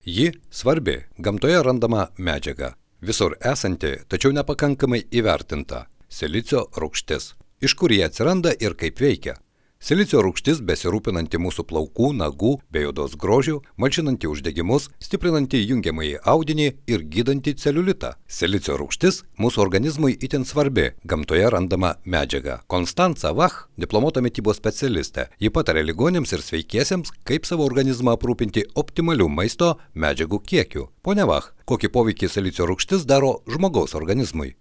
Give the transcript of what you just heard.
Ji svarbi gamtoje randama medžiaga, visur esanti, tačiau nepakankamai įvertinta – silicio rūgštis. Iš kur jie atsiranda ir kaip veikia? Silicio rūgštis besirūpinanti mūsų plaukų, nagų bei odos grožių, malšinanti uždegimus, stiprinanti jungiamąjį audinį ir gydanti celiulitą. Silicio rūgštis mūsų organizmui itin svarbi gamtoje randama medžiaga. Konstanca Vach, diplomuota mitybos specialistė, ji pataria ligoniams ir sveikiesiems, kaip savo organizmą aprūpinti optimaliu maisto medžiagų kiekiu. Pone Vach, kokį poveikį silicio rūgštis daro žmogaus organizmui?